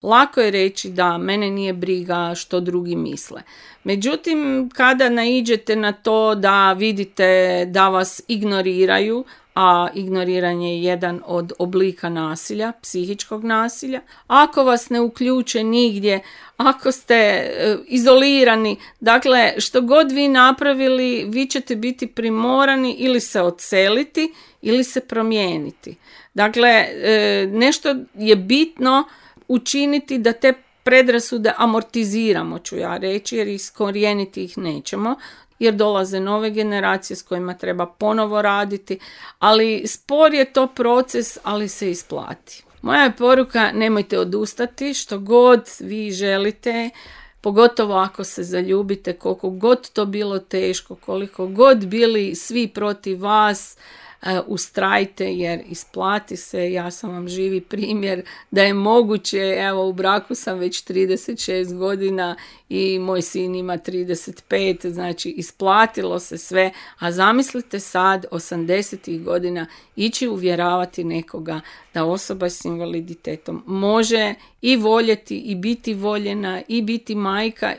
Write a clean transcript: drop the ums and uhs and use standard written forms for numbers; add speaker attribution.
Speaker 1: Lako je reći da mene nije briga što drugi misle. Međutim, kada naiđete na to da vidite da vas ignoriraju, a ignoriranje je jedan od oblika nasilja, psihičkog nasilja, ako vas ne uključe nigdje, ako ste izolirani, dakle što god vi napravili, vi ćete biti primorani ili se odseliti ili se promijeniti. Dakle, nešto je bitno učiniti da te predrasude amortiziramo, ću ja reći, jer iskorijeniti ih nećemo, jer dolaze nove generacije s kojima treba ponovo raditi, ali spor je to proces, ali se isplati. Moja je poruka, nemojte odustati, što god vi želite, pogotovo ako se zaljubite, koliko god to bilo teško, koliko god bili svi protiv vas, ustrajte jer isplati se. Ja sam vam živi primjer da je moguće. Evo, u braku sam već 36 godina i moj sin ima 35, znači isplatilo se sve, a zamislite sad 80 godina ići uvjeravati nekoga da osoba s invaliditetom može i voljeti i biti voljena i biti majka